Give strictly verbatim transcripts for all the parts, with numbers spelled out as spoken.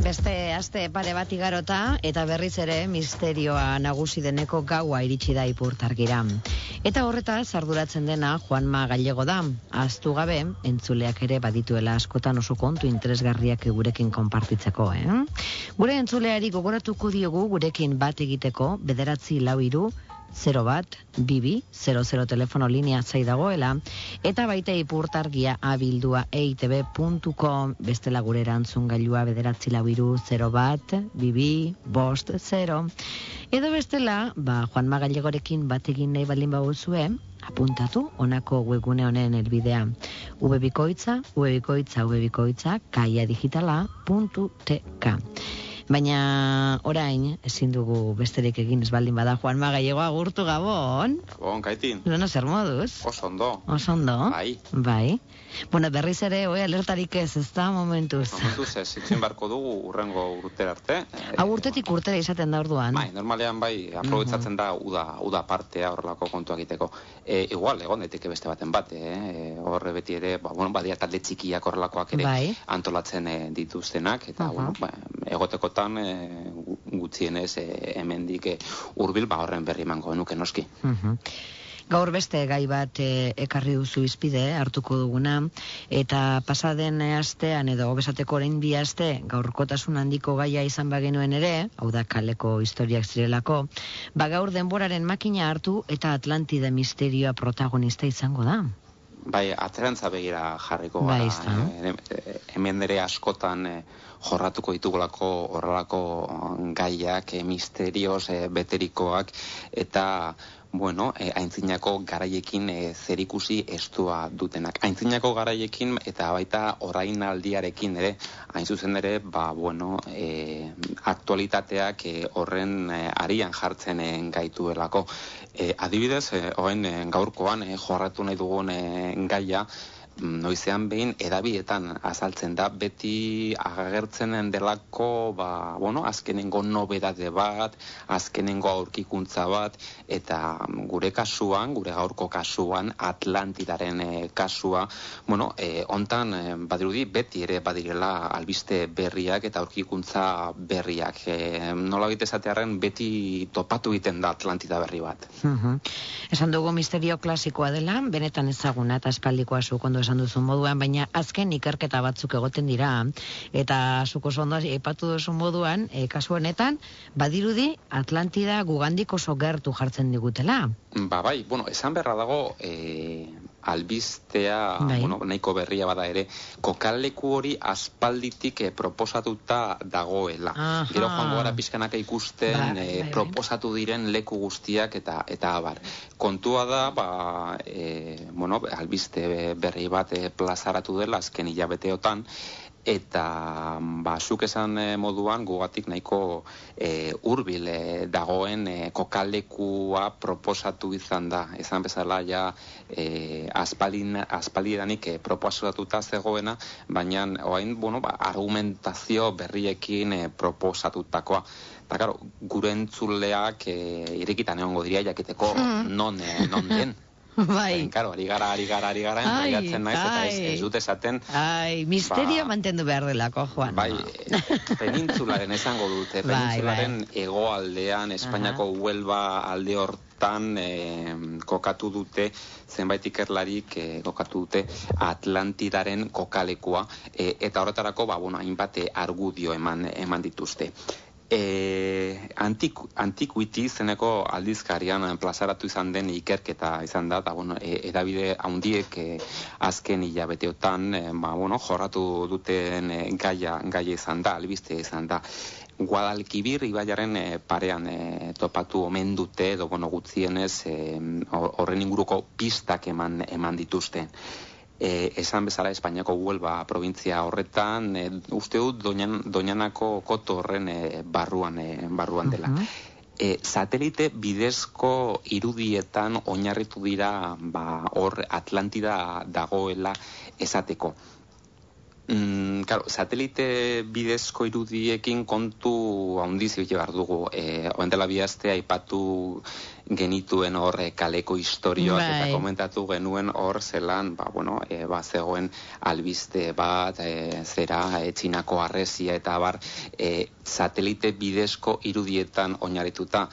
Beste aste pare bat igarota eta berriz ere misterioa nagusi deneko gaua iritsi da Ipurtargira. Eta horretaz arduratzen dena Juanma Gallego da. Ahaztu gabe, entzuleak ere badituela askotan oso kontu interesgarriak gurekin konpartitzeko, eh? Gure entzuleari gogoratuko diogu gurekin bat egiteko bederatzi lau hiru zero bat, bibi, zero zero telefono linea zai dagoela, eta baita Ipurtargia abildua eitb puntu com, bestela gure erantzun gailua bederatzi lau hiru zero bat, bibi, bost, zero. Edo bestela, ba, Juanma Gallegorekin bat egin nahi balin baguzue, apuntatu honako webgune honen helbidea. Ubebikoitza, ubebikoitza, ubebikoitza, kaiadigitala puntu tk. Baina orain ezin dugu besterik egin ez baldin bada. Juanma Gallego, agurtu gabon. Gabon, Kaitin. Nono zer moduz? Oso ondo. Oso ondo? Bai. Bai. Bueno, berriz ere, oi, alertarik ez, ez da momentuz. Momentuz ez, itxin barko dugu urrengo urtera arte. Hau urtetik urtera izaten da orduan. Bai, normalean bai, aprobetzatzen da uda, uda partea horrelako kontua egiteko. E, igual, egon daiteke beste baten bat, eh? Horre beti ere, ba, bueno, badia talde txikiak horrelakoak ere bai. Antolatzen eh, dituztenak, eta, uh-huh. bueno, ba, egotekotan e, gutxienez e, hemendik e, hurbil ba horren berri emango nuke noski. Uh-huh. Gaur beste gai bat e, ekarri duzu izpide, hartuko duguna, eta pasaden astean edo obesateko orain bi aste, gaurkotasun handiko gaia izan bagenuen ere, hau da kaleko historiak zirelako, ba gaur denboraren makina hartu eta Atlantida misterioa protagonista izango da. Bai, atzerantza begira jarriko gara. Bai, e, hemen ere askotan e, jorratuko ditugulako horrelako gaiak, e, misterioz e, beterikoak, eta bueno, e, aintzinako garaiekin e, zerikusi estua dutenak. Aintzinako garaiekin eta baita orain aldiarekin ere, hain zuzen ere, ba, bueno, e, aktualitateak e, horren e, arian jartzen e, gaituelako. E, adibidez, e, oen e, gaurkoan e, jorratu nahi dugun e, gaia, noizean behin edabietan azaltzen da, beti agertzen delako, ba, bueno, azkenengo nobedade bat, azkenengo aurkikuntza bat, eta gure kasuan, gure gaurko kasuan, Atlantidaren e, kasua, bueno, e, ontan e, badirudi beti ere badirela albiste berriak eta aurkikuntza berriak. E, nola esatearren beti topatu egiten da Atlantida berri bat. Uh-huh. Esan dugu misterio klasikoa dela, benetan ezaguna eta espaldikoa zuk ondo esan duzun moduan, baina azken ikerketa batzuk egoten dira, eta zuko ondo aipatu duzun moduan, e, kasu honetan, badirudi Atlantida gugandik oso gertu jartzen digutela. Ba bai, bueno, esan beharra dago, e, albistea, bai. Bueno, nahiko berria bada ere, kokaleku hori aspalditik e, proposatuta dagoela. Aha. Gero joango gara pixkanaka ikusten Ba, bai, e, bai. proposatu diren leku guztiak eta eta abar. Kontua da, ba, e, bueno, albiste berri bat e, plazaratu dela azken hilabeteotan, eta ba, zuk esan e, moduan gugatik nahiko e, hurbil e, dagoen e, kokalekua proposatu izan da. Esan bezala ja e, aspaldidanik e, proposatuta zegoena, baina orain, bueno, ba, argumentazio berriekin e, proposatutakoa. Eta, claro, gure entzuleak e, irekitan egongo diria jakiteko hmm. non, e, non den. Bai. Claro, ari gara, ari gara, ari gara, entzaiatzen naiz, eta ez, ez dut esaten... Ai, misterio ba, mantendu behar delako, Juan. Bai, penintzularen esango dute, penintzularen bai, bai. Hegoaldean, Espainiako uh-huh. Huelva alde hortan eh, kokatu dute, zenbait ikerlarik eh, kokatu dute Atlantidaren kokalekua, eh, eta horretarako, ba, bueno, hainbat argudio eman, eman dituzte. E, antik, antikuiti zeneko aldizkarian plazaratu izan den ikerketa izan da, eta bueno, e, edabide handiek e, azken hilabeteotan e, ba, bueno, jorratu duten e, gaia, gaia izan da, albiste izan da. Guadalquivir ibaiaren e, parean e, topatu omen dute, edo bueno, gutxienez horren e, inguruko pistak eman, eman dituzte. E, esan bezala Espainiako Huelva provintzia horretan, e, uste dut Doñan, Doñanako koto horren e, barruan, e, barruan dela. Uh-huh. E, satelite bidezko irudietan oinarritu dira ba, hor Atlantida dagoela esateko. Mm, claro, satelite bidezko irudiekin kontu handiz ibili behar dugu. E, Oen dela bi aste aipatu genituen hor e, kaleko historioak Bai. eta komentatu genuen hor zelan, ba, bueno, e, ba, zegoen albiste bat, e, zera, e, txinako harresia eta bar, e, satelite bidezko irudietan oinarrituta.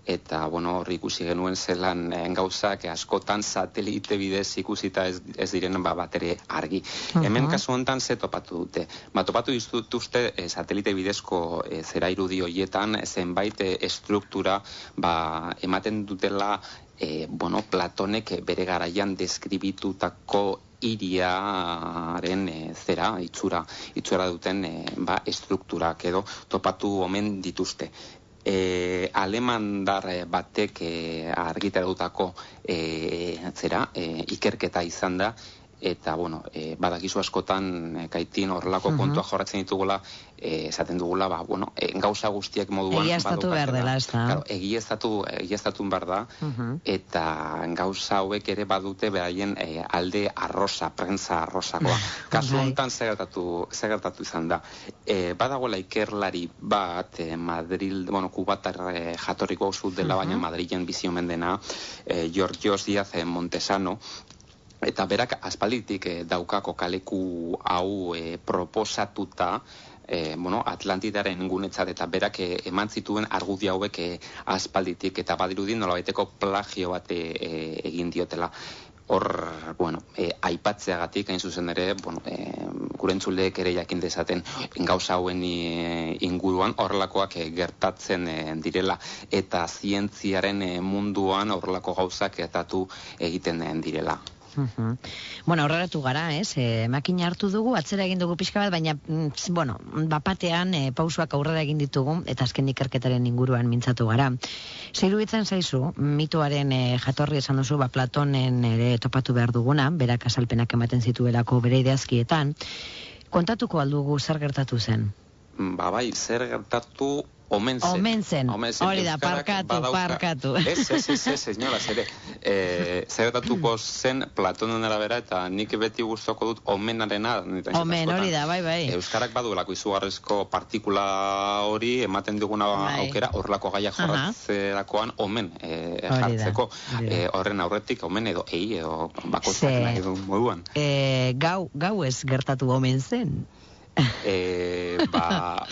Eta, bueno, hor ikusi genuen zelan eh, gauzak askotan satelite bidez ikusita ez, ez diren ba, bat ere argi. Uh-huh. Hemen kasu honetan ze topatu dute. Ba, topatu dituzte eh, satelite bidezko eh, zera irudi horietan zenbait eh, estruktura ba, ematen dutela eh, bueno, Platonek bere garaian deskribitutako hiriaren e, zera, itxura, itxura duten e, ba, estrukturak edo topatu omen dituzte. E, alemandar batek e, argitaratutako e, zera, e, ikerketa izan da, eta, bueno, e, badakizu askotan e, kaitin horrelako uh-huh. kontua jorratzen ditugula, e, esaten dugula, ba, bueno, e, gauza guztiak moduan egiaztatu behar dela, ez da? Claro, egiaztatu, egiaztatu behar da, uh-huh. eta gauza hauek ere badute beraien e, alde arrosa, prensa arrosakoa. Kasu honetan segertatu, segertatu izan da. E, badagoela ikerlari bat, e, Madrid, bueno, kubatar e, jatorriko zut dela, uh-huh. baina Madrilen bizi omen dena, e, Georgios Díaz Montesano, eta berak aspalditik eh, daukako kaleku hau eh, proposatuta eh, bueno, Atlantidaren gunetzat eta berak eh, eman zituen argudi hauek eh, aspalditik eta badirudin nolabaiteko plagio bat eh, egin diotela. Hor, bueno, eh, aipatzeagatik hain zuzen ere, bueno, eh, gurentzuleek ere jakin dezaten gauza hauen eh, inguruan horrelakoak eh, gertatzen eh, direla eta zientziaren eh, munduan horrelako gauzak gertatu egiten eh, direla. Uh-huh. Bueno, aurreratu gara, ez? E, makina hartu dugu, atzera egin dugu pixka bat, baina, mm, bueno, bapatean e, pausuak aurrera egin ditugu, eta azken ikerketaren inguruan mintzatu gara. Zeiruditzen zaizu, mitoaren e, jatorri esan duzu, ba, Platonen ere topatu behar duguna, berak azalpenak ematen zituelako bere ideazkietan, kontatuko aldugu zer gertatu zen? Ba bai, zer gertatu omen zen. Omen zen, hori da, parkatu, badauka. parkatu. Ez, ez, ez, ez, señora, zere. E, zer gertatuko zen Platonen arabera, eta nik beti gustoko dut omenarena. Omen, hori da, bai, bai. Euskarak baduelako izugarrizko partikula hori, ematen duguna bai. Aukera, horrelako gaiak jorratzerakoan omen e, jartzeko. E, horren aurretik, omen edo ei, edo bakotzak nahi du moduan. E, gau, gau ez gertatu omen zen. E, ba...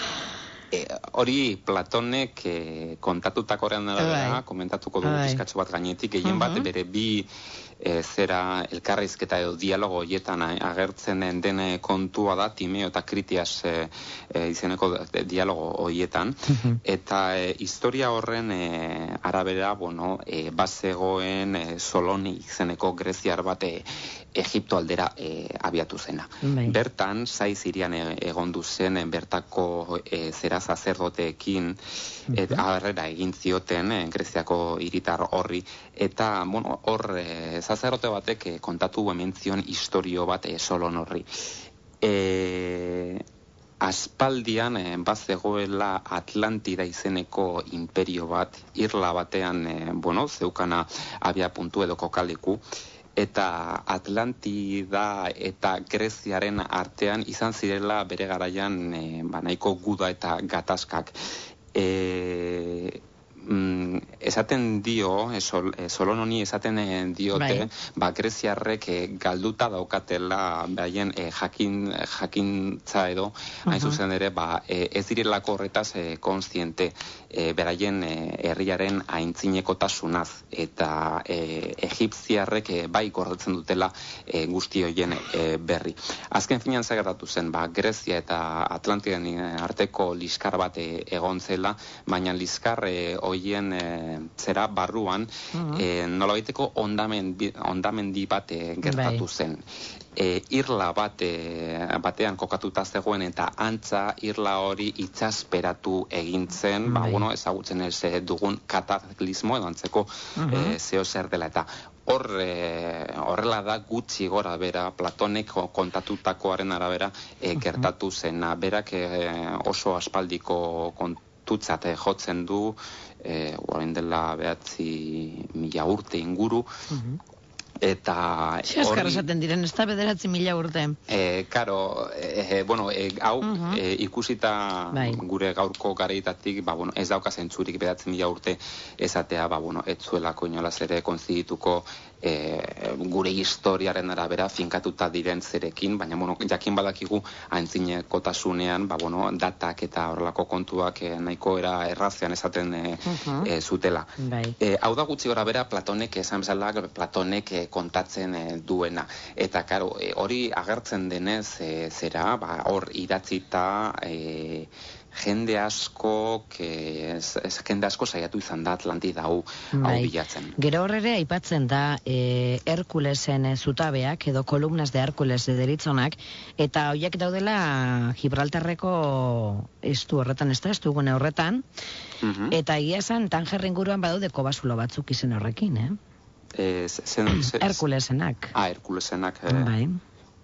E, hori Platonek e, kontatutakorean arabera, komentatuko dugu bizkatxo bat gainetik, gehien bat bere bi e, zera elkarrizketa edo dialogo horietan agertzen den kontua da Timeo eta Kritias e, e, izeneko dialogo horietan, eta e, historia horren e, arabera, bueno, e, bazegoen e, Soloni izeneko greziar bat e, Egipto aldera e, abiatu zena. Bai. Bertan, zai Sirian e, egondu zen, bertako e, zera sacerdoteekin e, abarrera egin zioten e, Greziako hiritar horri, eta bueno, hor e, sacerdote batek e, kontatu hemen zion historio bat e, Solon horri. E, aspaldian e, bazegoela Atlantida izeneko imperio bat, irla batean e, bueno, zeukana abia puntu edo kokaleku, eta Atlantida eta Greziaren artean izan zirela bere garaian e, ba, nahiko guda eta gatazkak. E, mm, esaten dio, e, sol, e, Solon honi esaten e, diote, bai. Ba, Greziarrek e, galduta daukatela baien e, jakin, jakintza edo, uh-huh. hain zuzen ere, ba, e, ez direlako horretaz e, konstiente e, beraien e, herriaren aintzinekotasunaz, eta e, egipziarrek e, bai gordetzen dutela e, guzti hoien e, berri. Azken finean zagertatu zen, ba, Grezia eta Atlantidan arteko liskar bat e, egon zela, baina liskar e, hoien e, zera barruan uh-huh. e, nolabaiteko ondamendi, ondamendi bat e, gertatu zen. E, irla bate, batean kokatuta zegoen eta antza irla hori itsasperatu egin zen, ba, bueno, ezagutzen ez dugun kataklizmo edo antzeko uh-huh. e, zeo zer dela eta hor e, horrela da gutxi gora bera Platonek kontatutakoaren arabera e, gertatu zena. Berak e, oso aspaldiko kontutzat e, jotzen du, e, orain dela behatzi mila urte inguru, uh-huh. Eta Eskar esaten diren, ez da bederatzi mila urte. E, karo, e, bueno, e, hau uh-huh. e, ikusita bai. Gure gaurko garaitatik, ba, bueno, ez dauka zentzurik bederatzi mila urte esatea, ba, bueno, ez zuelako inolaz ere konzidituko e, gure historiaren arabera finkatuta diren zerekin, baina, bueno, jakin badakigu antzinekotasunean, ba, bueno, datak eta horrelako kontuak e, nahiko era errazean esaten e, uh-huh. e, zutela. Bai. E, hau da gutxi gora bera Platonek esan bezala, Platonek e, kontatzen e, duena. Eta, karo, e, hori agertzen denez e, zera, ba, hor idatzita e, jende asko que ez, ez jende asko saiatu izan da Atlantida hau hau bilatzen. Gero horrere aipatzen da e, Herkulesen zutabeak edo kolumnas de Herkules deritzonak, eta hoiek daudela Gibraltarreko estu horretan, ez da, estu gune horretan, uh-huh. eta egia esan Tanger inguruan badaude kobazulo batzuk izen horrekin, eh? Eh, zen, zen, Herkulesenak. Ah, Herkulesenak. Eh. Bai.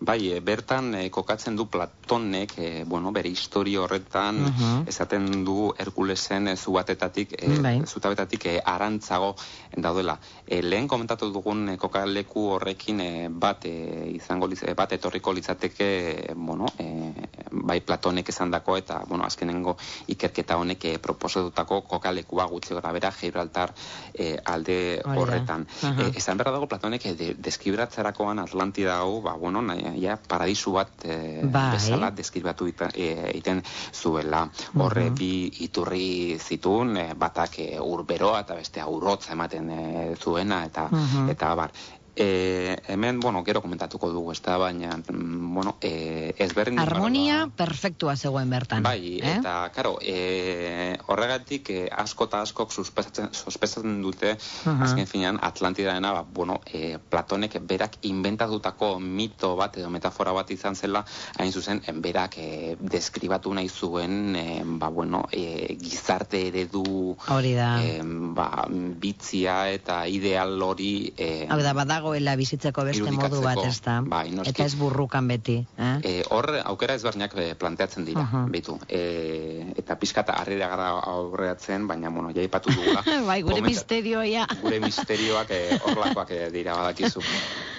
Bai, e, bertan e, kokatzen du Platonek, e, bueno, bere historia horretan, uh-huh. esaten du Herkulesen e, zubatetatik, e, bai. zutabetatik e, arantzago daudela. E, lehen komentatu dugun e, kokaleku horrekin e, bat, e, izango liz, e, bat etorriko litzateke, e, bueno, e, bai Platonek esandako eta, bueno, azkenengo ikerketa honek e, proposatutako kokalekua gutxi gora bera Gibraltar e, alde horretan. Uh-huh. E, esan berra dago Platonek e, de, deskibratzerakoan Atlantida hau, ba, bueno, nahi, ja, paradisu bat e, bezala deskribatu egiten zuela. Horre uh-huh. bi iturri zituen, e, batak e, urberoa eta beste urrotza ematen e, zuena, eta, uh-huh. eta bar. E, hemen, bueno, gero komentatuko dugu, ez da, baina, bueno, e, ezberdin... Harmonia ba, perfektua zegoen bertan. Bai, eh? Eta, karo, e, horregatik e, asko eta askok sospezatzen dute, uh-huh. azken finean, Atlantidaena, ba, bueno, e, Platonek berak inventatutako mito bat edo metafora bat izan zela, hain zuzen, berak e, deskribatu nahi zuen, e, ba, bueno, e, gizarte eredu... Hori da. E, ba, bitzia eta ideal hori... E, Hau da, badago goela bizitzeko beste modu bat, ez da? Bai, eta ez burrukan beti. Eh? E, hor, aukera ezberdinak planteatzen dira, uh-huh. betu. E, eta pixkata harrera gara aurreatzen, baina, bueno, ja ipatu dugula. Bai, gure Komenta, misterioa, ja. Gure misterioak e, horlakoak e, dira badakizu.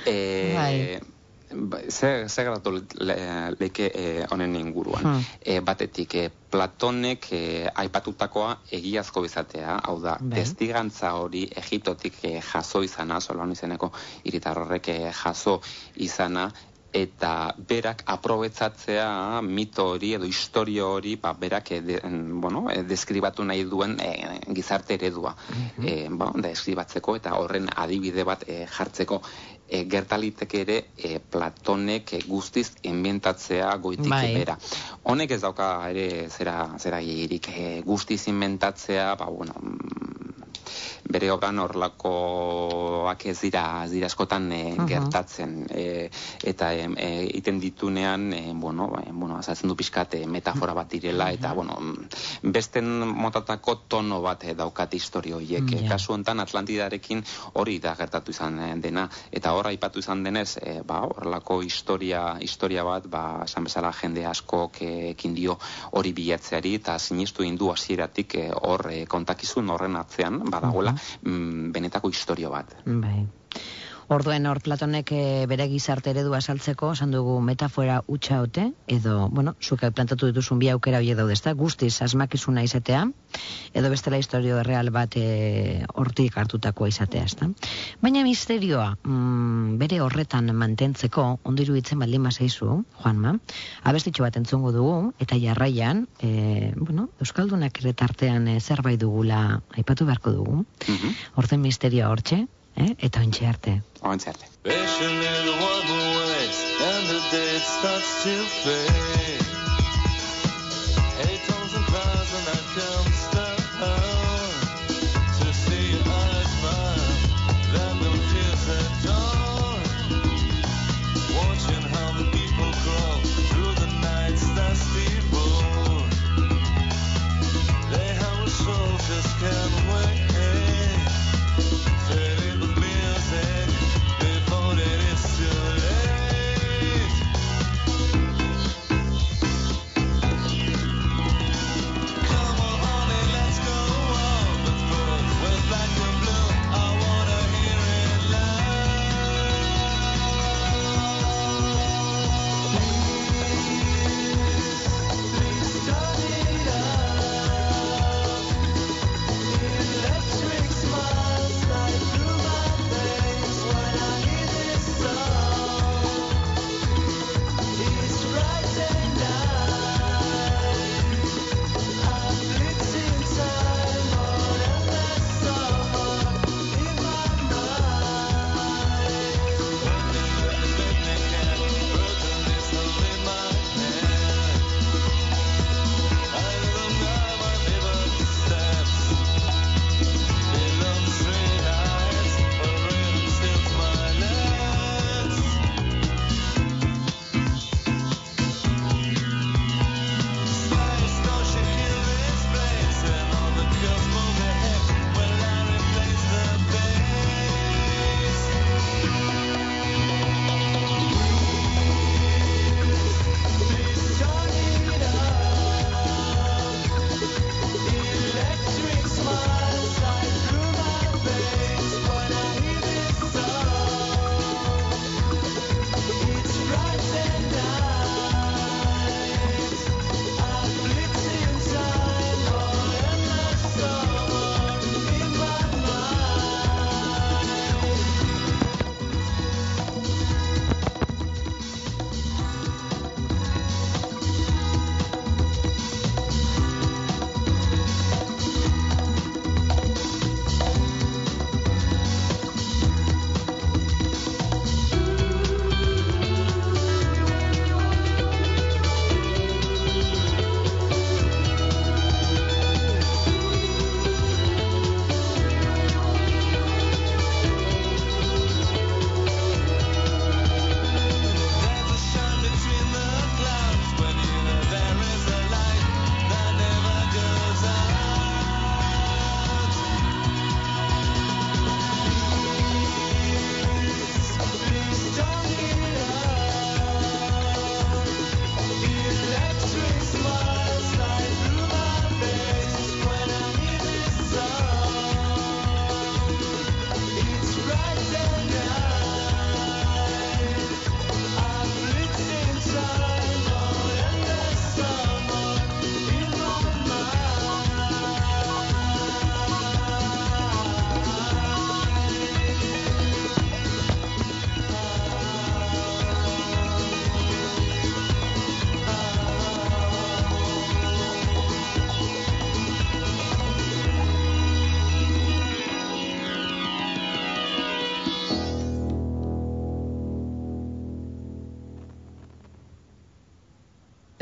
E, bai. Zer ze gertatu leke honen e, inguruan. Hmm. E, batetik, e, Platonek e, aipatutakoa egiazko izatea, hau da, ben. testigantza hori Egiptotik e, jaso izana, Solon izeneko hiritar horrek e, jaso izana, eta berak aprobetzatzea mito hori edo historio hori, ba, berak e, de, bueno, e, deskribatu nahi duen e, gizarte eredua. Mm-hmm. E, ba, deskribatzeko eta horren adibide bat e, jartzeko. E, gertaliteke ere e, Platonek e, guztiz inventatzea goitik bai. Bera. Honek ez dauka ere zera, zera girik e, guztiz inventatzea, ba, bueno, bere obran horlakoak ez dira, ez dira askotan e, uh-huh. gertatzen. E, eta e, iten ditunean, e, bueno, e, bueno, azaltzen du pixkat e, metafora bat direla, uh-huh. eta, bueno, besten motatako tono bat e, daukat historio horiek. Uh-huh. Kasu honetan Atlantidarekin hori da gertatu izan dena, eta hor aipatu izan denez, e, ba, horrelako historia, historia bat, ba, esan bezala jende askok ekin dio hori bilatzeari, eta sinistu indu hasieratik e, hor e, kontakizun horren atzean, badagoela, mm, benetako historio bat. Bai. Orduen hor Platonek e, bere gizarte eredua saltzeko, esan dugu metafora hutsa ote, edo, bueno, zuke plantatu dituzun bi aukera horiek daude, ezta? Guztiz asmakizuna izatea, edo bestela historio erreal bat e, hortik hartutakoa izatea, ezta? Baina misterioa mm, bere horretan mantentzeko, ondo iruditzen baldin bazaizu, Juanma, abestitxo bat entzungo dugu, eta jarraian, e, bueno, Euskaldunak ere tartean e, zerbait dugula aipatu beharko dugu, mm-hmm. Horten misterioa hortxe, Eh? Eta ontxe arte. Ontxe arte.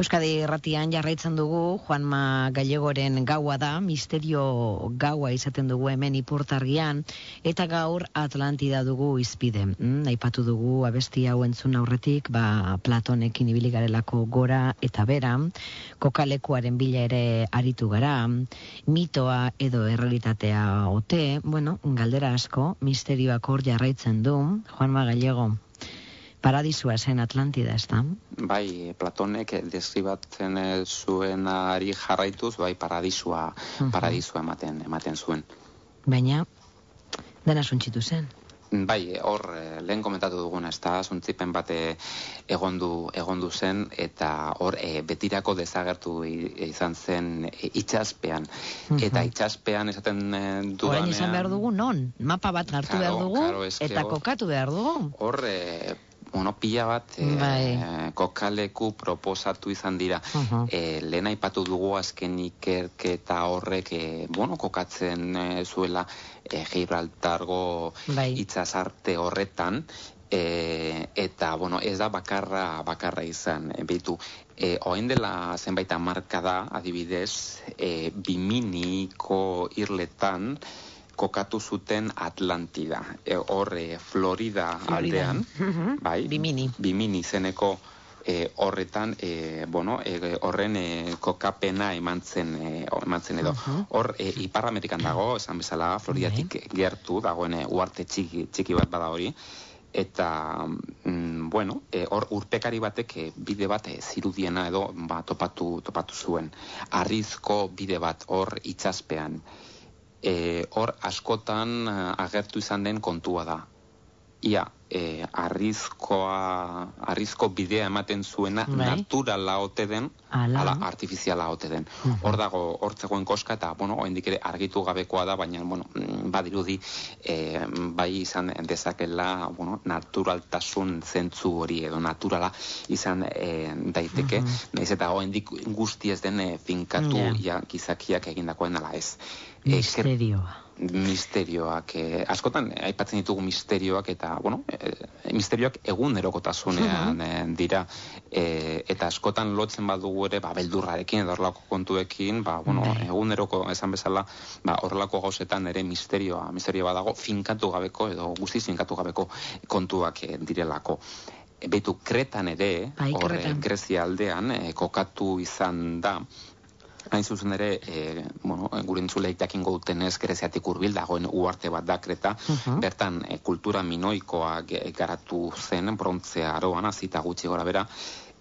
Euskadi Irratian jarraitzen dugu, Juanma Gallegoren gaua da, misterio gaua izaten dugu hemen Ipurtargian, eta gaur Atlantida dugu izpide. Mm, aipatu dugu abesti hau entzun aurretik, ba, Platonekin ibili garelako gora eta bera, kokalekuaren bila ere aritu gara, mitoa edo errealitatea ote, bueno, galdera asko, misterioak hor jarraitzen du, Juanma Gallego. Paradisua zen Atlantida, ez da? Bai, Platonek deskribatzen zuenari jarraituz, bai, paradisua, uh-huh. paradisua ematen, ematen zuen. Baina, dena suntxitu zen? Bai, hor, lehen komentatu duguna, ez da, suntzipen bate egondu, egondu zen, eta hor, e, betirako desagertu izan zen e, itxaspean. Uh-huh. Eta itxaspean esaten dudanean... Orain izan behar dugu, non? Mapa bat hartu claro, behar dugu, claro, eta hor, kokatu behar dugu. Hor, e, Bueno, pila bat e, kokaleku proposatu izan dira. Uh-huh. E, lehen aipatu dugu azken ikerketa horrek e, bueno, kokatzen e, zuela e, Gibraltargo bai. Itsasarte horretan. E, eta, bueno, ez da bakarra, bakarra izan. E, Beitu, e, oain dela zenbait hamarka da, adibidez, e, Biminiko irletan, kokatu zuten Atlantida. E, hor, e, Florida, Florida aldean, uh-huh. bai, Bimini. Bimini zeneko e, horretan, e, bueno, e, horren e, kokapena eman zen, e, eman zen edo. Uh-huh. Hor, e, Ipar Amerikan dago, esan bezala, Floridatik okay. gertu, dagoen e, uarte txiki, txiki bat bada hori. Eta, mm, bueno, e, hor urpekari batek e, bide bat e, zirudiena edo ba, topatu, topatu zuen. Arrizko bide bat hor itsaspean. E, hor askotan agertu izan den kontua da. Ia, e, arrizkoa, arrizko bidea ematen zuena bai. Naturala ote den, ala, ala artifiziala ote den. Uh-huh. Hor dago, hor zegoen koska, eta, bueno, oendik ere argitu gabekoa da, baina, bueno, badirudi, e, bai izan dezakela, bueno, naturaltasun zentzu hori, edo naturala izan e, daiteke, uh-huh. Naiz eta oendik guzti ez den e, finkatu, yeah. ja, gizakiak egindakoen ala ez. Misterioa. E, misterioak, eh, askotan aipatzen ditugu misterioak eta, bueno, eh, misterioak egunerokotasunean eh, dira eh, eta askotan lotzen badugu ere, ba, beldurrarekin edo horrelako kontuekin, ba, bueno, eguneroko esan bezala, ba, horrelako gauzetan ere misterioa, misterioa dago, finkatu gabeko edo guztiz finkatu gabeko kontuak eh, direlako. Beitu, Kretan ere, hor, Grezia aldean, eh, kokatu izan da, hain zuzen ere, e, bueno, gure entzuleik dakingo dutenez Greziatik hurbil dagoen uarte bat da Kreta, uh-huh. bertan e, kultura minoikoa garatu zen, brontzea aroan, azita gutxi gora bera,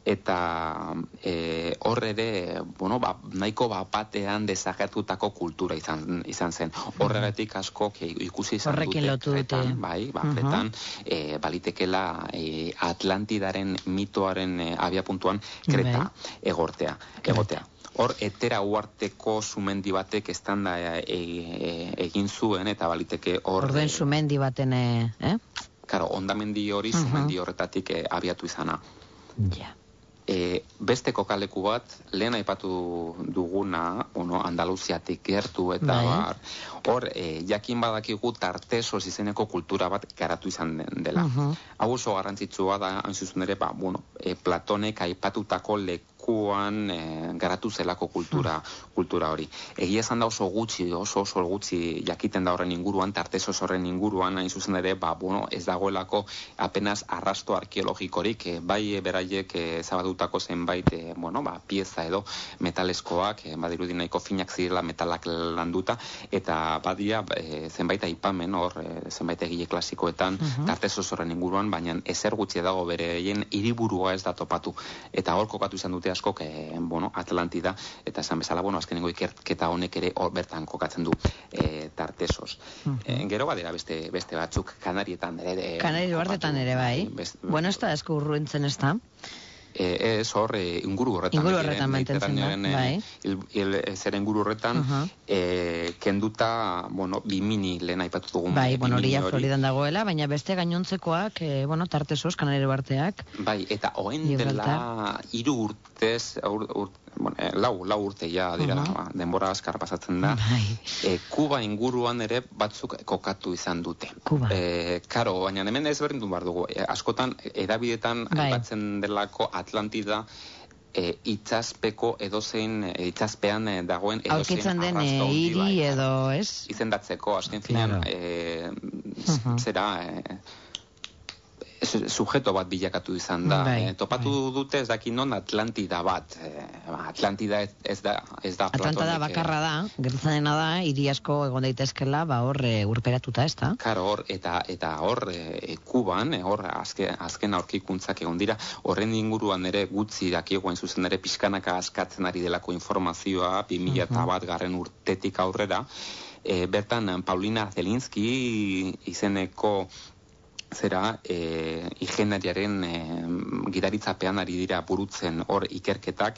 eta e, hor ere, bueno, ba, nahiko bapatean desagertutako kultura izan, izan zen. Horregatik asko ikusi izan horrekin dute Kretan, dute. bai, ba, Kretan, uh-huh. e, balitekela e, Atlantidaren mitoaren e, abiapuntuan Kreta bai. egortea, egotea. Hor, etera uarteko sumendi batek estanda e, e, egin zuen, eta baliteke hor... Orden e, sumendi baten, eh? Karo, ondamendi hori uh-huh. sumendi horretatik e, abiatu izana. Ja. Yeah. E, beste kokaleku bat, lehen aipatu duguna, bueno, Andaluziatik gertu eta bai. bar, hor, e, jakin badakigu Tartesos izeneko kultura bat garatu izan dela. Uh-huh. Hau oso garrantzitsua da, hain zuzen ere, ba, bueno, e, Platonek aipatutako lekuan e, garatu zelako kultura, uh-huh. kultura hori. Egia esan da oso gutxi, oso oso gutxi jakiten da horren inguruan, Tartesos horren inguruan, hain zuzen ere, ba, bueno, ez dagoelako apenas arrasto arkeologikorik, e, bai e, beraiek e, zabadutako zenbait, e, bueno, ba, pieza edo metaleskoak, e, badirudi nahiko finak zirela metalak landuta, eta badia e, zenbait aipamen hor, e, zenbait egile klasikoetan, uh-huh. Tartesos horren inguruan, baina ezer gutxi dago bereien hiriburua ez da topatu. Eta hor kokatu izan dute askok, e, bueno, Atlantida, eta esan bezala, bueno, azkenengo ikerketa honek ere hor bertan kokatzen du e, Tartesos. Uh-huh. E, gero badera beste, beste batzuk, Kanarietan ere. Kanari duartetan ere, bai. Best, bueno, ez da esko urruentzen ez da. E, ez hor, e, inguru horretan. Inguru horretan mantentzen da, bai. Il, il, zer inguru horretan, uh-huh. e, kenduta, bueno, Bimini lehen aipatu dugun. Bai, bueno, hori ja Floridan dagoela, baina beste gainontzekoak, e, bueno, Tartesos, Kanari duarteak. Bai, eta oen dela hiru urtez, ur, ur, bueno, e, lau, lau urte ja dira, uh-huh. ba, denbora askar pasatzen da. Bai. E, Kuba inguruan ere batzuk kokatu izan dute. Kuba. E, karo, baina hemen ez berdindu behar dugu. E, askotan, edabidetan bai. aipatzen delako Atlantida e, itxaspeko edozein, e, itxaspean e, dagoen edozein aurkitzen den arrasto handi hiri bai, edo, ez? Izendatzeko, azken finean, Claro. e, Uh-huh. zera... E, sujeto bat bilakatu izan da. Bai, e, topatu bai. dute ez daki non Atlantida bat. E, Atlantida ez, ez da, ez da Atlanta da Platonek, bakarra da, gertatzen dena da, hiri asko egon daitezkela, ba hor e, urperatuta, ez da? Karo, hor, eta, eta hor, e, Kuban, e, hor, azken, azken aurkikuntzak egon dira, horren inguruan ere gutxi dakiegoen zuzen ere pixkanaka askatzen ari delako informazioa, bi mila bat garren urtetik aurrera, e, bertan Paulina Zelinski izeneko zera e, ingeniariaren e, gidaritzapean ari dira burutzen hor ikerketak,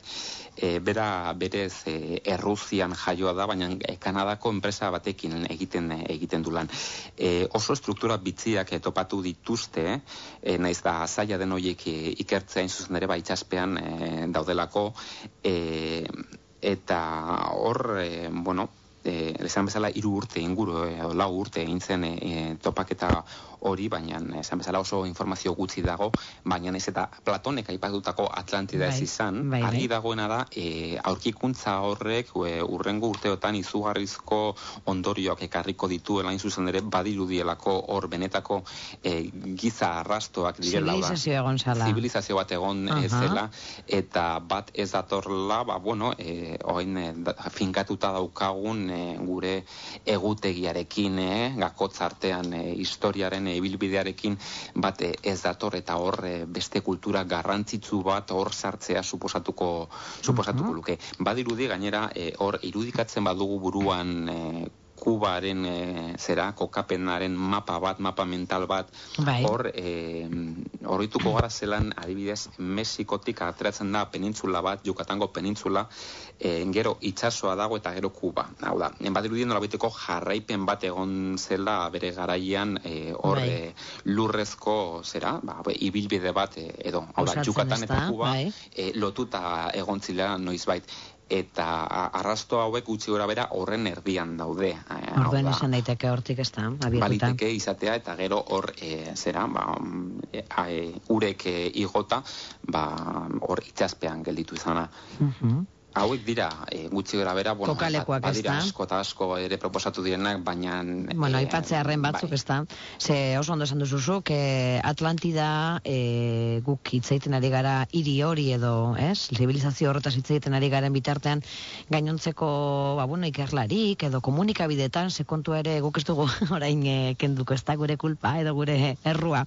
e, bera berez e, Errusian jaioa da, baina e, Kanadako enpresa batekin egiten egiten du lan. E, oso struktura bitziak e, topatu dituzte, e, naiz da zaila den horiek e, ikertzea zuzen ere ba itxaspean e, daudelako, e, eta hor, e, bueno, E, esan bezala hiru urte inguru, e, lau urte egin zen e, topaketa hori, baina esan bezala oso informazio gutxi dago, baina ez eta Platonek aipatutako Atlantida ez izan, bai, bai. argi dagoena da, e, aurkikuntza horrek e, urrengo urteotan izugarrizko ondorioak ekarriko dituela hain zuzen ere badirudielako hor benetako e, giza arrastoak direla. Zibilizazio egon zala. Zibilizazio bat egon uh-huh. zela, eta bat ez datorla, ba, bueno, e, oin e, da, finkatuta daukagun e, gure egutegiarekin, e, gakotz artean e, historiaren e, ibilbidearekin bat e, ez dator, eta hor e, beste kultura garrantzitsu bat hor sartzea suposatuko, suposatuko uh-huh. luke. Badirudi gainera e, hor irudikatzen badugu buruan e, Kubaren e, zera, kokapenaren mapa bat, mapa mental bat, bai. hor e, horrituko gara zelan adibidez Mexikotik ateratzen da penintzula bat, Yucatango penintzula, e, gero itsasoa dago eta gero Kuba. Hau da, badirudien nolabiteko jarraipen bat egon zela bere garaian e, hor bai. e, lurrezko zera, ba, ibilbide bat e, edo, hau da, Yucatan eta Kuba bai. e, lotuta egon zila noizbait. Eta arrasto hauek gutxi gora bera horren erdian daude. Orduen esan daiteke hortik ez da, abiatuta. Baliteke izatea eta gero hor e, zera, ba, e, e, urek e, igota, ba, hor itxaspean gelditu izana. Uh-huh. Hauek dira, e, gutxi gara bera, bueno, kokalekuak, badira ez da? asko eta asko ere proposatu direnak, baina... Bueno, e, aipatzearen batzuk, bai. ez da? Ze oso ondo esan duzuzuk, e, Atlantida e, guk hitzeiten ari gara hiri hori edo, ez? Zibilizazio horretaz hitzeiten ari garen bitartean, gainontzeko, ba, bueno, ikerlarik edo komunikabidetan, ze kontua ere guk ez dugu orain e, kenduko, ez da gure kulpa edo gure errua.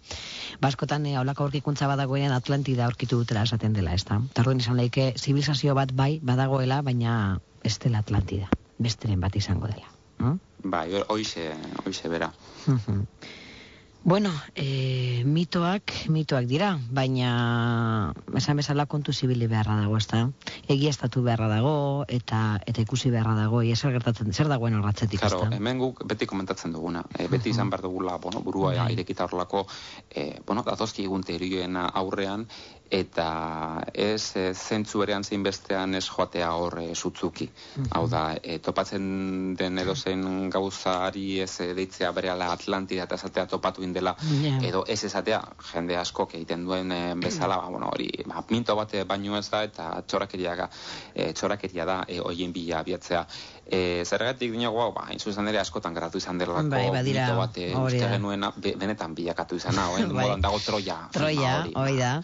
Baskotan e, aurlako aurkikuntza badagoenean Atlantida aurkitu dutela esaten dela, ez da? Tarduen izan leike, zibilizazio bat bai, badagoela, baina ez dela Atlantida, besteren bat izango dela. Mm? Bai, hoize, hoize bera. Uh-huh. Bueno, e, mitoak, mitoak dira, baina esan bezala kontu zibili beharra dago, ez da? Egiaztatu beharra dago, eta eta ikusi beharra dago, ia zer gertatzen, zer dagoen horratzetik, ez Claro, da? hemen guk beti komentatzen duguna, e, beti izan behar dugula, bueno, burua Bai. irekita horrelako, e, bueno, datozki egun teorioen aurrean, eta ez e, zentzu berean zein bestean ez joatea hor e, sutzuki. Hau da, e, topatzen den edozein gauzari ez e, deitzea berehala Atlantida eta esatea topatu indela, Yeah. edo ez esatea, jende askok egiten duen e, bezala, ba, bueno, hori, ba, minto bat baino ez da, eta txorakeria, e, txorakeria da e, hoien bila abiatzea. E, zergatik dinago hau, ba, zuzen ere askotan geratu izan delako Bai, badira, mito bat e, hori uste da. genuena be, benetan bilakatu izana, oen, Bai. modan dago Troia. Troia, filma hori da.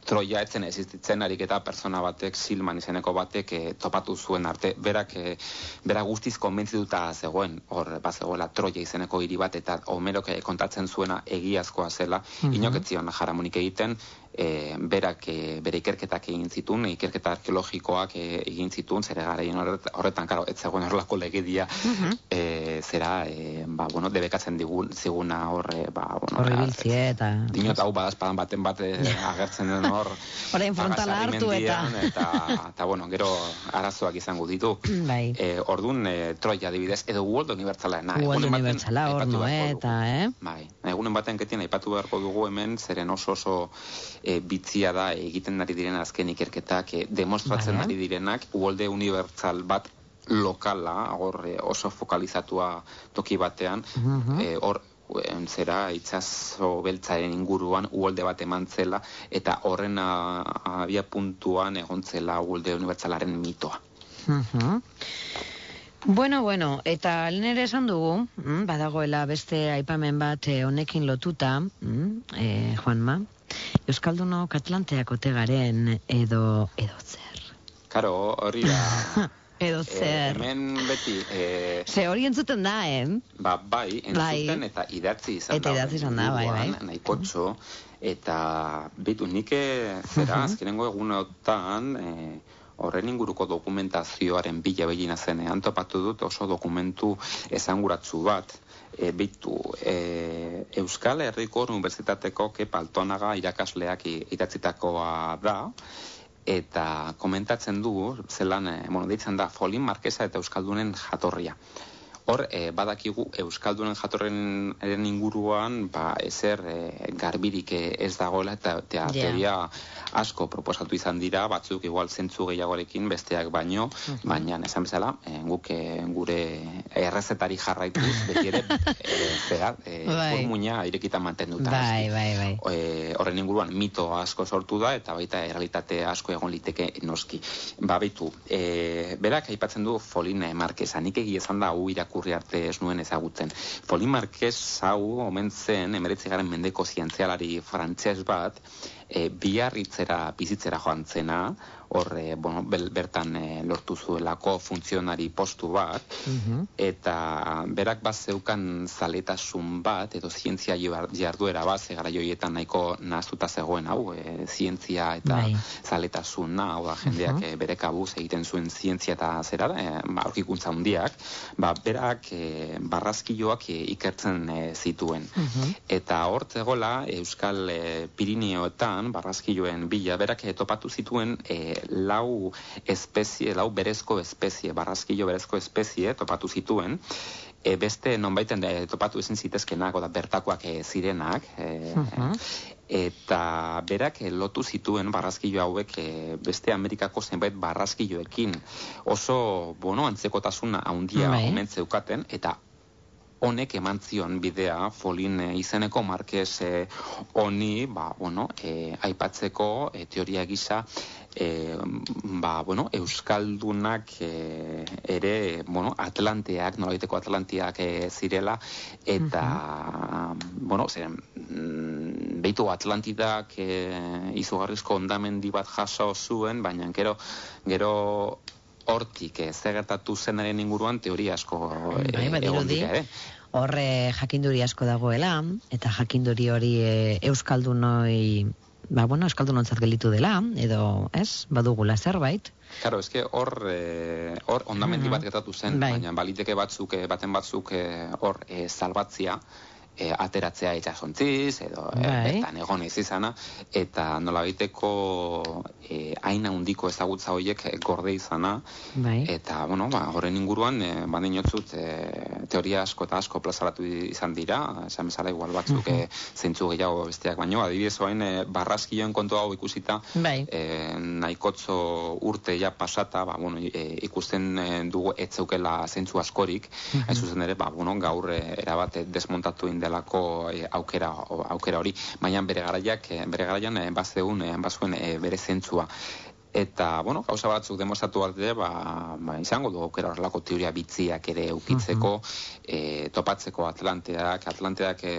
Troia etzen existitzen harik eta persona batek, Silman izeneko batek e, topatu zuen arte. Berak, e, bera guztiz konbentzituta zegoen, hor bazegoela Troia izeneko hiri bat, eta Homerok e, kontatzen zuena egiazkoa zela, Mhm. inok ez zion jaramonik egiten, e, berak e, bere ikerketak egin zituen, ikerketa arkeologikoak e, egin zituen, zere garaien horret, horretan, karo, ez zegoen horrelako legedia, Mhm. e, zera, e, ba, bueno, debekatzen digun, ziguna horre, ba, bueno, Horri biltzie eta... dinot hau badazpadan baten bat e, agertzen den hor Orain frontala hartu eta... eta eta bueno, gero arazoak izango ditu. Bai. E, ordun e, Troia adibidez edo World Universala, na, World egunen baten Universala hor aipatu beharko Noeta, dugu. eh? Bai, egunen baten ketien aipatu beharko dugu hemen, zeren oso oso e, bitzia da egiten ari diren azken ikerketak, e, demostratzen Bai, eh? ari direnak World Universal bat lokala, hor e, oso fokalizatua toki batean, Mhm. e, hor zera itsaso beltzaren inguruan uholde bat eman zela, eta horren abia puntuan egon zela uholde unibertsalaren mitoa. Uh-huh. Bueno, bueno, eta lehen ere esan dugu, mm, badagoela beste aipamen bat honekin lotuta, mm, eh, Juanma, Euskaldunok Atlanteak ote garen edo edo zer. Karo, hori da... edo zer. E, hemen beti... E, Ze hori entzuten da, eh? Ba, bai, entzuten bai. Eta idatzi izan eta da. Eta idatzi izan da, bai, bai. Nahikotxo, eta bitu nik zera, uh-huh. azkenengo egunotan... E, horren inguruko dokumentazioaren bila behina zenean topatu dut oso dokumentu esanguratsu bat. E, bitu, e, Euskal Herriko Unibertsitateko Kepa Altonaga irakasleak idatzitakoa da, eta komentatzen du, zelan, e, bueno, deitzen da, Folin Markesa eta Euskaldunen jatorria. Hor, e, badakigu Euskaldunen jatorren inguruan, ba, ezer e, garbirik ez dagoela, eta yeah. teoria asko proposatu izan dira, batzuk igual zentzu gehiagorekin, besteak baino, uh-huh. baina esan bezala, e, guk e, gure errezetari jarraituz, beti ere, e, zera, e, formuna irekita mantenduta. Bai, bai, bai. E, horren inguruan mito asko sortu da, eta baita errealitate asko egon liteke noski. Ba, baitu, e, berak aipatzen du Folin Markesa, nik egia esan da, hau irakurri arte ez nuen ezagutzen. Folin Markes hau omen zen, emeretzigaren mendeko zientzialari frantses bat, e, biarritzera bizitzera joan zena, hor, e, bueno, bel, bertan e, lortu zuelako funtzionari postu bat, uh-huh. eta berak bat zeukan zaletasun bat, edo zientzia jarduera bat, zegara joietan nahiko nahaztuta zegoen hau, e, zientzia eta Bye. zaletasuna, hau da, jendeak uh-huh. e, bere kabuz egiten zuen zientzia eta zera, e, ba, aurkikuntza handiak, ba, berak e, barrazkiloak e, ikertzen e, zituen. Uh-huh. Eta hor zegoela, Euskal e, Pirineoetan, barrazkiloen bila, berak e, topatu zituen e, lau espezie, lau berezko espezie, barrazkilo berezko espezie topatu zituen, e, beste nonbaiten de, topatu ezin zitezkenak, oda bertakoak e, zirenak, e, uh-huh. eta berak e, lotu zituen barrazkilo hauek e, beste Amerikako zenbait barrazkiloekin oso, bueno, antzekotasuna handia uh-huh. omen zeukaten, eta honek eman zion bidea Folin e, izeneko Markes e, honi, ba, bueno, e, aipatzeko e, teoria gisa e, ba, bueno, Euskaldunak e, ere, bueno, Atlanteak, nolaiteko Atlanteak e, zirela, eta, uh-huh. bueno, ziren, behitu Atlantidak e, izugarrizko ondamendi bat jaso zuen, baina gero, gero hortik, eh, zegertatu zenaren inguruan teoria asko eh, egon dira, eh? Horre jakinduri asko dagoela, eta jakinduri hori e, Euskaldunoi, ba, bueno, Euskaldunontzat gelitu dela, edo, ez, badugula zerbait. Claro, eske hor eh, hor ondamendi uh-huh. bat gertatu zen, bai. Baina baliteke batzuk, eh, baten batzuk hor eh, eh, salbatzia, E, ateratzea itxasontziz, edo e, bertan egon ez izana, eta nolabaiteko e, hain handiko ezagutza horiek gorde izana, bai. Eta, bueno, ba, horren inguruan, e, badin jotzut, e, teoria asko eta asko plazaratu izan dira, esan bezala igual batzuk uh-huh. e, zeintzu gehiago besteak baino, adibidez oain e, barrazkioen kontu hau ikusita, bai. e, nahikotzo urte ja pasata, ba, bueno, e, ikusten e, dugu etzeukela zeintzu askorik, uh-huh. hain zuzen ere, ba, bueno, gaur e, erabate desmontatu inde delako e, aukera aukera hori, baina bere garaiak bere garaian e, bazeun e, bazuen e, bere zentzua. Eta, bueno, gauza batzuk demostratu arte, ba, ba, izango du aukera horrelako teoria bitziak ere eukitzeko, uh-huh. e, topatzeko Atlanteak, Atlanteak e,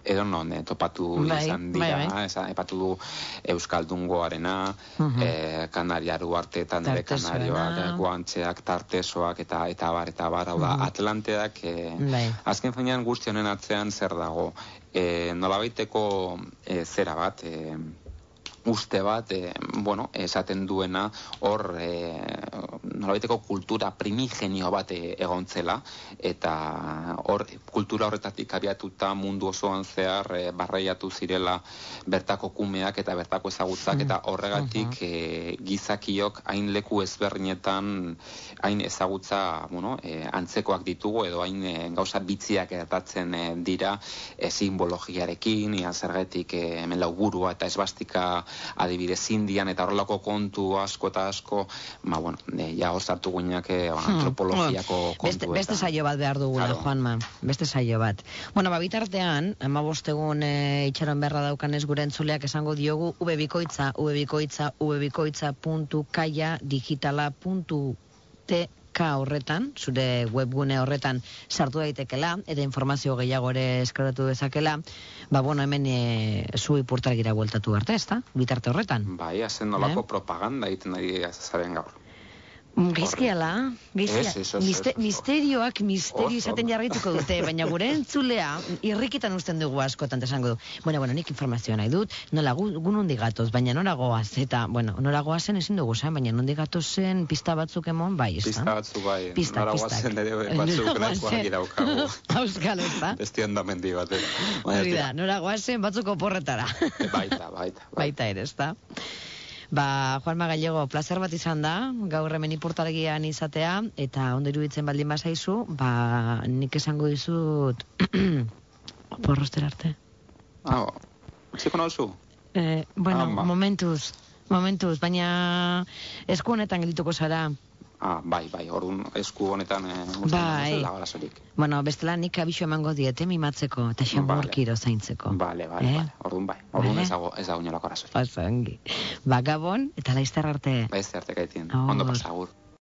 edo non e, topatu bai, izan dira, bai, bai. Eza, epatu du Euskaldungoarena, uh-huh. e, Kanariaru arteetan ere Kanarioak, Guantxeak, Tartesoak, eta eta bar, eta bar, hau da, uh-huh. Atlanteak, e, bai. Azken finean guzti honen atzean zer dago, e, nolabaiteko e, zera bat, e, uste bat, e, bueno, esaten duena hor e, nolabaiteko kultura primigenio bat e, egontzela, eta hor kultura horretatik abiatuta mundu osoan zehar e, barreiatu zirela bertako kumeak eta bertako ezagutzak, eta horregatik e, gizakiok hain leku ezberdinetan hain ezagutza, bueno, e, antzekoak ditugu, edo hain e, gauza bitziak gertatzen e, dira e, simbologiarekin, ia zergatik e, hemen laugurua eta esbastika adibidez Indian eta horrelako kontu asko eta asko, ma, bueno, e, ja hor sartu guinak eh, antropologiako beste, kontu. beste saio bat behar dugula, Claro. Juanma. Beste saio bat. Bueno, ba, bitartean, hamabost egun e, itxaron beharra daukanez gure entzuleak esango diogu ubebikoitza, ubebikoitza, ubebikoitza puntu kaia digitala puntu tk horretan, zure webgune horretan sartu daitekela, eta informazio gehiago ere eskaratu dezakela, ba, bueno, hemen e, zu ipurtargira bueltatu arte, ez da? Bitarte horretan. Bai, hazen nolako Eh? propaganda egiten ari zaren gaur. Geizkiala, geizkiala. Ez, ez, ez, Miste, ez, ez. misterioak misterio Oso. izaten jarraituko dute, baina gure entzulea irrikitan usten dugu askotan esango du. Bueno, bueno, nik informazioa nahi dut, nola gu, gu nondi gatoz, baina nora goaz, eta, bueno, nora goazen ezin dugu zen, baina nondi gatozen pista batzuk emon, bai, ez da? Pista batzu bai, Pista, nora pistak. guazen ere batzuk nahiko argi daukagu. Auskal, ez da? Besti ondamendi bat, eh? Baina Hori da, tira, nora goazen batzuk oporretara. Baita, baita. Baita ere, ez da? Ba, Juanma Gallego, placer bat izan da, gaur hemen ipurtargian izatea, eta ondo iruditzen baldin bazaizu, ba, nik esango dizut, porrostera arte. Ah, txiko nauzu? Eh, bueno, Ama. momentuz, momentuz, baina esku honetan geldituko zara. Ah, bai, bai, orduan esku honetan eh, Bai. dago arazorik. Bueno, bestela nik abisu emango diete mimatzeko, eta xamurkiro zaintzeko. Bale, bale, Eh? bale, orduan bai, orduan Bale. ez dago, ez dago inolako arazorik. Oso ongi. Ba, Gabon, eta laizter arte. Ba, ez arte gaitien, Agur. ondo pasagur.